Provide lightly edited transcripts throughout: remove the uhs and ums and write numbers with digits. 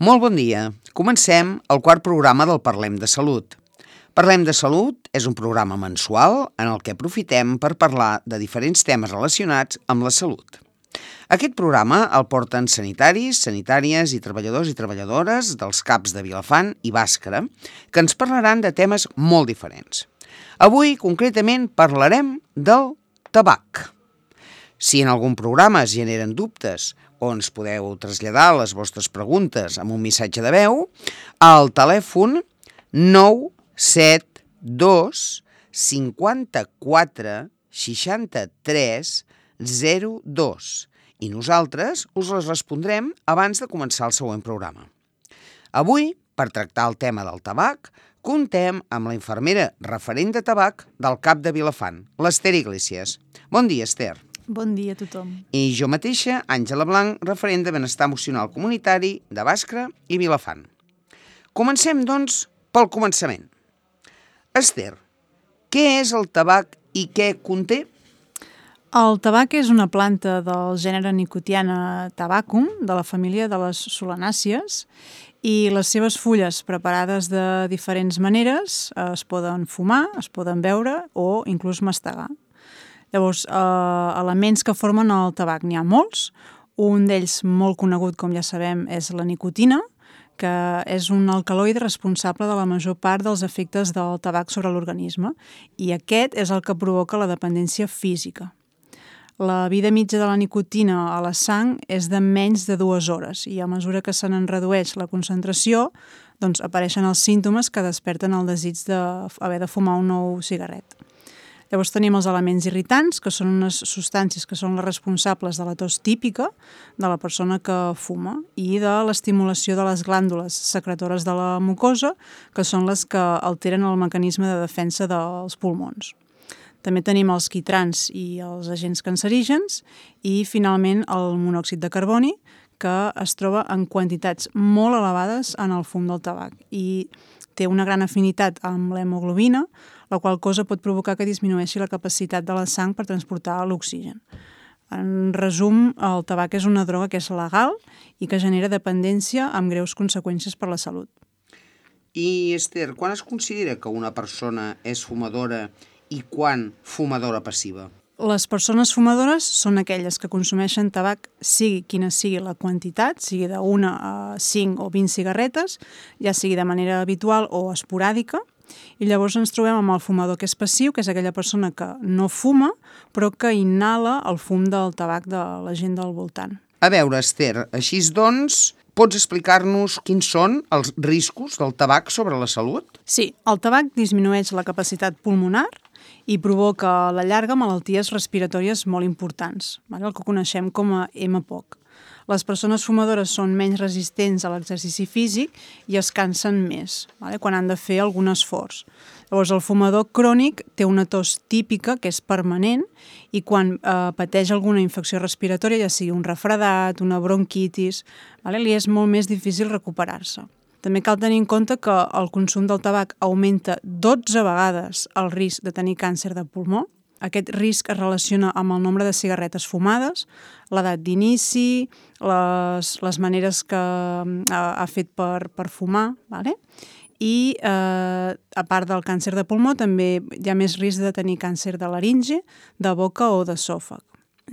Molt bon dia. Comencem el quart programa del Parlem de Salut. Parlem de Salut és un programa mensual en el que aprofitem per parlar de diferents temes relacionats amb la salut. Aquest programa el porten sanitaris, sanitàries i treballadores dels CAPs de Vilafant i Bàscara, que ens parlaran de temes molt diferents. Avui, concretament, parlarem del tabac. Si en algun programa es generen dubtes o ens podeu traslladar les vostres preguntes amb un missatge de veu, al telèfon 972 54 63 02 i nosaltres us les respondrem abans de començar el següent programa. Avui, per tractar el tema del tabac, contem amb la infermera referent de tabac del CAP de Vilafant, l'Ester Iglesias. Bon dia, Ester. Bon dia a tothom. I jo mateixa, Àngela Blanc, referent de benestar emocional comunitari de Bàscara i Vilafant. Comencem, doncs, pel començament. Ester, què és el tabac i què conté? El tabac és una planta del gènere Nicotiana tabacum, de la família de les solanàcies, i les seves fulles preparades de diferents maneres es poden fumar, es poden beure o inclús mastegar. Llavors, elements que formen el tabac n'hi ha molts. Un d'ells molt conegut, com ja sabem, és la nicotina, que és un alcaloide responsable de la major part dels efectes del tabac sobre l'organisme, i aquest és el que provoca la dependència física. La vida mitja de la nicotina a la sang és de menys de 2 hores i a mesura que se n'en redueix la concentració, doncs apareixen els símptomes que desperten el desig d'haver de fumar un nou cigarret. Llavors tenim els elements irritants, que són unes substàncies que són les responsables de la tos típica de la persona que fuma i de l'estimulació de les glàndules secretores de la mucosa, que són les que alteren el mecanisme de defensa dels pulmons. També tenim els quitrans i els agents cancerígens i, finalment, el monòxid de carboni, que es troba en quantitats molt elevades en el fum del tabac i té una gran afinitat amb l'hemoglobina, la qual cosa pot provocar que disminueixi la capacitat de la sang per transportar l'oxigen. En resum, el tabac és una droga que és legal i que genera dependència amb greus conseqüències per la salut. I, Ester, quan es considera que una persona és fumadora i quan fumadora passiva? Les persones fumadores són aquelles que consumeixen tabac, sigui quina sigui la quantitat, sigui de 1 a 5 o 20 cigarretes, ja sigui de manera habitual o esporàdica, i llavors ens trobem amb el fumador que és passiu, que és aquella persona que no fuma, però que inhala el fum del tabac de la gent del voltant. A veure, Ester, així doncs, pots explicar-nos quins són els riscos del tabac sobre la salut? Sí, el tabac disminueix la capacitat pulmonar i provoca a la llarga malalties respiratòries molt importants, el que coneixem com a EMPOC. Les persones fumadores són menys resistents a l'exercici físic i es cansen més quan han de fer algun esforç. Llavors, el fumador crònic té una tos típica que és permanent i quan pateix alguna infecció respiratòria, ja sigui un refredat, una bronquitis, li és molt més difícil recuperar-se. També cal tenir en compte que el consum del tabac augmenta 12 vegades el risc de tenir càncer de pulmó. Aquest risc es relaciona amb el nombre de cigarretes fumades, l'edat d'inici, les maneres que ha fet per fumar, i a part del càncer de pulmó també hi ha més risc de tenir càncer de laringe, de boca o d'esòfag.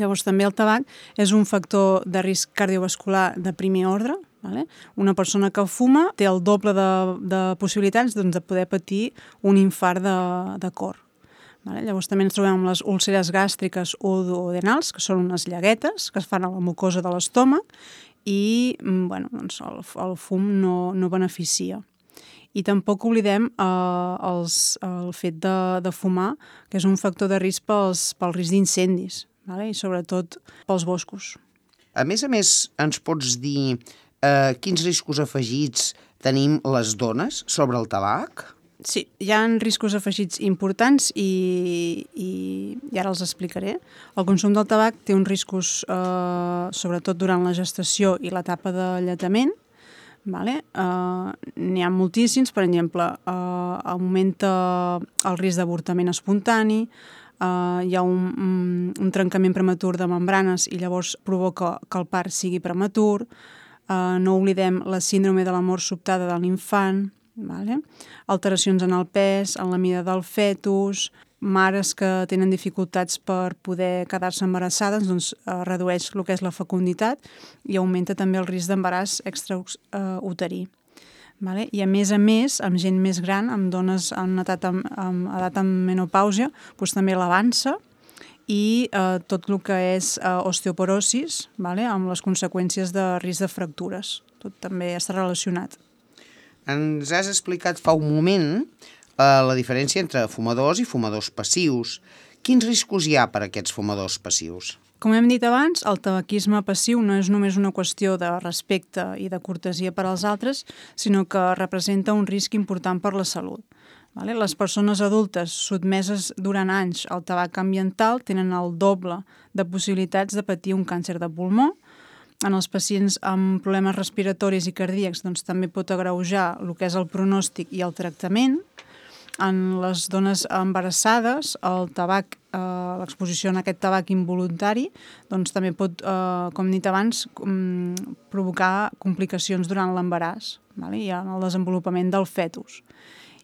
Llavors també el tabac és un factor de risc cardiovascular de primer ordre. Una persona que fuma té el doble de possibilitats de poder patir un infart de cor. Llavors també ens trobem amb les úlceres gàstriques o duodenals, que són unes llaguetes que es fan a la mucosa de l'estómac i el fum no beneficia. I tampoc oblidem el fet de fumar, que és un factor de risc pel risc d'incendis, i sobretot pels boscos. A més, ens pots dir quins riscos afegits tenim les dones sobre el tabac? Sí, hi ha riscos afegits importants i ara els explicaré. El consum del tabac té uns riscos sobretot durant la gestació i l'etapa d'alletament. N'hi ha moltíssims, per exemple, augmenta el risc d'avortament espontani, hi ha un trencament prematur de membranes i llavors provoca que el part sigui prematur, No oblidem la síndrome de la mort sobtada de l'infant, vale? Alteracions en el pes, en la mida del fetus, mares que tenen dificultats per poder quedar-se embarassades, doncs redueix el que és la fecunditat i augmenta també el risc d'embaràs extrauterí. Vale? I a més, amb gent més gran, amb dones en edat amb menopàusia, doncs també l'avança i tot el que és osteoporosis, vale? Amb les conseqüències de risc de fractures. Tot també està relacionat. Ens has explicat fa un moment la diferència entre fumadors i fumadors passius. Quins riscos hi ha per a aquests fumadors passius? Com hem dit abans, el tabaquisme passiu no és només una qüestió de respecte i de cortesia per als altres, sinó que representa un risc important per la salut. Vale? Les persones adultes sotmeses durant anys al tabac ambiental tenen el doble de possibilitats de patir un càncer de pulmó. En els pacients amb problemes respiratoris i cardíacs doncs, també pot agreujar el que és el pronòstic i el tractament. En les dones embarassades, el tabac, l'exposició a aquest tabac involuntari doncs, també pot, com he dit abans, provocar complicacions durant l'embaràs, vale? I en el desenvolupament del fetus.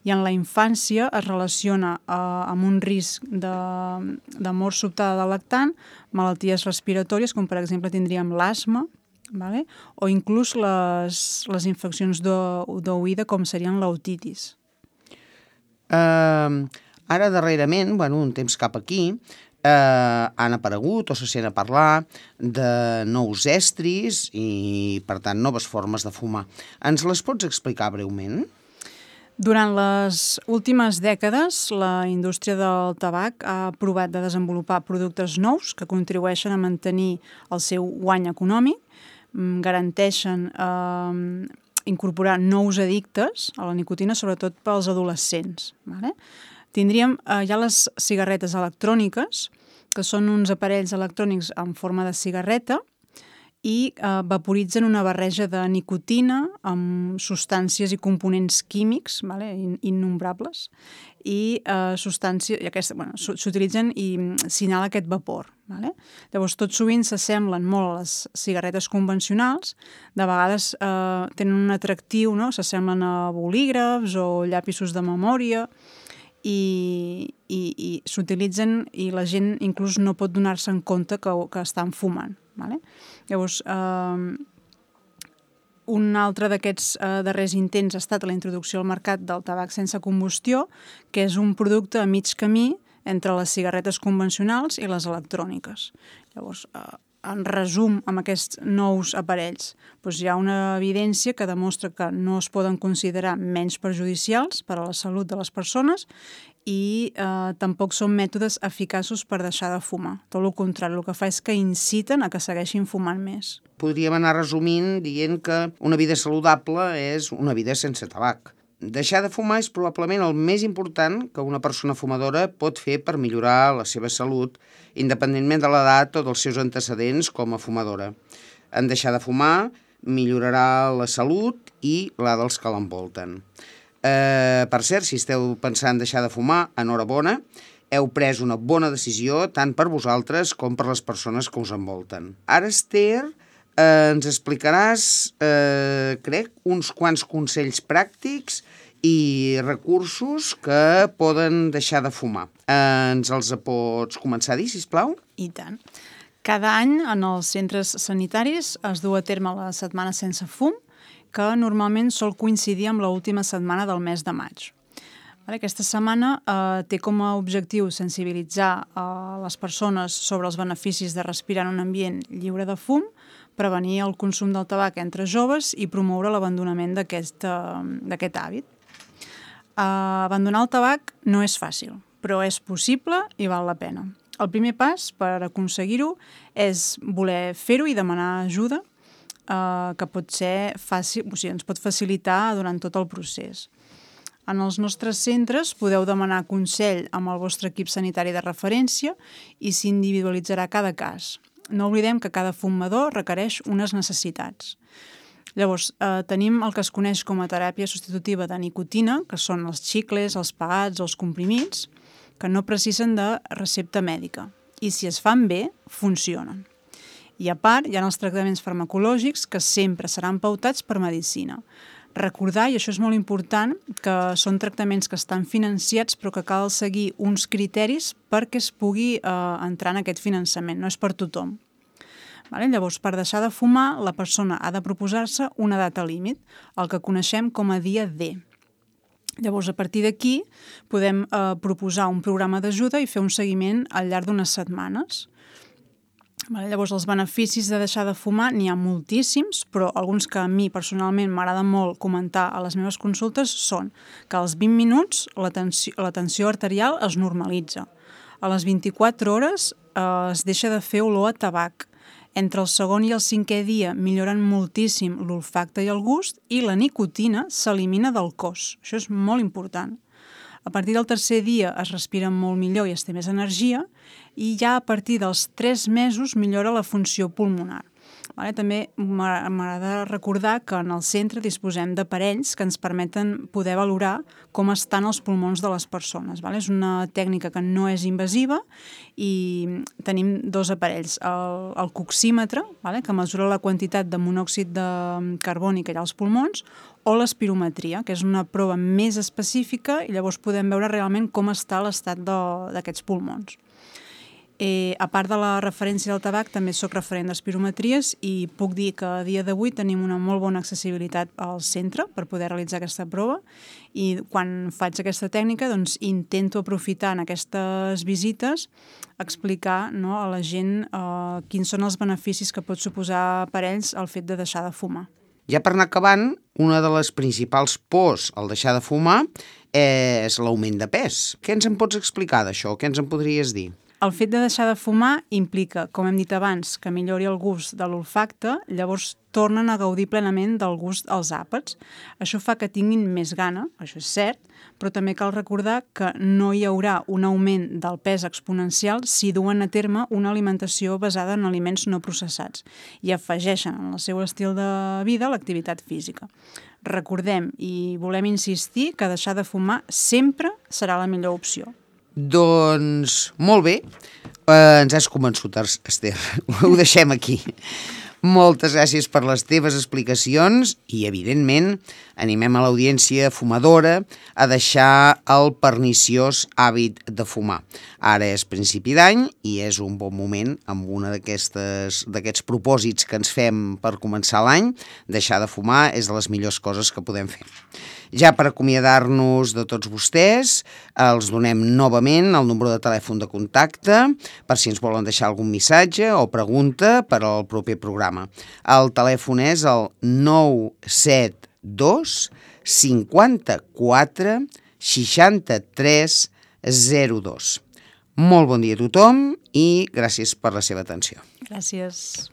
I en la infància es relaciona amb un risc de mort sobtada del lactant, malalties respiratòries, com per exemple tindríem l'asma, vale? O inclús les infeccions d'oïda, com serien l'otitis. Ara, darrerament, un temps cap aquí, han aparegut o se sent a parlar de nous estris i, per tant, noves formes de fumar. Ens les pots explicar breument? Durant les últimes dècades, la indústria del tabac ha provat de desenvolupar productes nous que contribueixen a mantenir el seu guany econòmic, garanteixen incorporar nous addictes a la nicotina, sobretot pels adolescents. Vale? Tindríem ja les cigarretes electròniques, que són uns aparells electrònics en forma de cigarreta i vaporitzen una barreja de nicotina amb substàncies i components químics, vale? Innombrables, i s'utilitzen i s'inhala aquest vapor. Vale? Llavors, tot sovint s'assemblen molt a les cigarretes convencionals, de vegades tenen un atractiu, no? S'assemblen a bolígrafs o llapisos de memòria i s'utilitzen i la gent inclús no pot donar-se en compte que estan fumant. Vale? Llavors, un altre d'aquests darrers intents ha estat la introducció al mercat del tabac sense combustió, que és un producte a mig camí entre les cigarretes convencionals i les electròniques. Llavors, en resum, amb aquests nous aparells, doncs hi ha una evidència que demostra que no es poden considerar menys perjudicials per a la salut de les persones i tampoc són mètodes eficaços per deixar de fumar. Tot el contrari, el que fa és que inciten a que segueixin fumant més. Podríem anar resumint dient que una vida saludable és una vida sense tabac. Deixar de fumar és probablement el més important que una persona fumadora pot fer per millorar la seva salut, independentment de l'edat o dels seus antecedents com a fumadora. En deixar de fumar millorarà la salut i la dels que l'envolten. Per cert, si esteu pensant deixar de fumar, enhorabona, heu pres una bona decisió tant per vosaltres com per les persones que us envolten. Ara, Esther, ens explicaràs, crec, uns quants consells pràctics i recursos que poden deixar de fumar. Ens els pots començar a dir, sisplau? I tant. Cada any en els centres sanitaris es du a terme la setmana sense fum, que normalment sol coincidir amb l'última setmana del mes de maig. Aquesta setmana té com a objectiu sensibilitzar les persones sobre els beneficis de respirar en un ambient lliure de fum, prevenir el consum del tabac entre joves i promoure l'abandonament d'aquest hàbit. Abandonar el tabac no és fàcil, però és possible i val la pena. El primer pas per aconseguir-ho és voler fer-ho i demanar ajuda, que pot ser fàcil, o sigui, ens pot facilitar durant tot el procés. En els nostres centres podeu demanar consell amb el vostre equip sanitari de referència i s'individualitzarà cada cas. No oblidem que cada fumador requereix unes necessitats. Llavors, tenim el que es coneix com a teràpia substitutiva de nicotina, que són els xicles, els pegats, els comprimits, que no precisen de recepta mèdica. I si es fan bé, funcionen. I a part, hi ha els tractaments farmacològics que sempre seran pautats per medicina. Recordar, i això és molt important, que són tractaments que estan financiats però que cal seguir uns criteris perquè es pugui entrar en aquest finançament, no és per tothom. Llavors, per deixar de fumar, la persona ha de proposar-se una data límit, el que coneixem com a dia D. Llavors, a partir d'aquí, podem proposar un programa d'ajuda i fer un seguiment al llarg d'unes setmanes. Llavors, els beneficis de deixar de fumar n'hi ha moltíssims, però alguns que a mi personalment m'agrada molt comentar a les meves consultes són que als 20 minuts la tensió arterial es normalitza. A les 24 hores es deixa de fer olor a tabac. Entre el segon i el 5è dia milloren moltíssim l'olfacte i el gust i la nicotina s'elimina del cos. Això és molt important. A partir del 3è dia es respira molt millor i es té més energia i ja a partir dels 3 mesos millora la funció pulmonar. També m'agrada recordar que en el centre disposem d'aparells que ens permeten poder valorar com estan els pulmons de les persones. És una tècnica que no és invasiva i tenim 2 aparells. El coxímetre, que mesura la quantitat de monòxid de carboni que hi ha als pulmons, o l'espirometria, que és una prova més específica i llavors podem veure realment com està l'estat d'aquests pulmons. A part de la referència del tabac, també soc referent d'espirometries i puc dir que a dia d'avui tenim una molt bona accessibilitat al centre per poder realitzar aquesta prova i quan faig aquesta tècnica intento aprofitar en aquestes visites explicar a la gent quins són els beneficis que pot suposar per ells el fet de deixar de fumar. Ja per anar acabant, una de les principals pors al deixar de fumar és l'augment de pes. Què ens en pots explicar d'això? Què ens en podries dir? El fet de deixar de fumar implica, com hem dit abans, que millori el gust de l'olfacte, llavors tornen a gaudir plenament del gust als àpats. Això fa que tinguin més gana, això és cert, però també cal recordar que no hi haurà un augment del pes exponencial si duen a terme una alimentació basada en aliments no processats i afegeixen en el seu estil de vida l'activitat física. Recordem i volem insistir que deixar de fumar sempre serà la millor opció. Doncs molt bé, ens has convençut, Esther, ho deixem aquí. Moltes gràcies per les teves explicacions i, evidentment, animem a l'audiència fumadora a deixar el perniciós hàbit de fumar. Ara és principi d'any i és un bon moment, amb una d'aquests propòsits que ens fem per començar l'any, deixar de fumar és de les millors coses que podem fer. Ja per acomiadar-nos de tots vostès, els donem novament el número de telèfon de contacte per si ens volen deixar algun missatge o pregunta per al proper programa. El telèfon és el 972 54 63 02. Molt bon dia a tothom i gràcies per la seva atenció. Gràcies.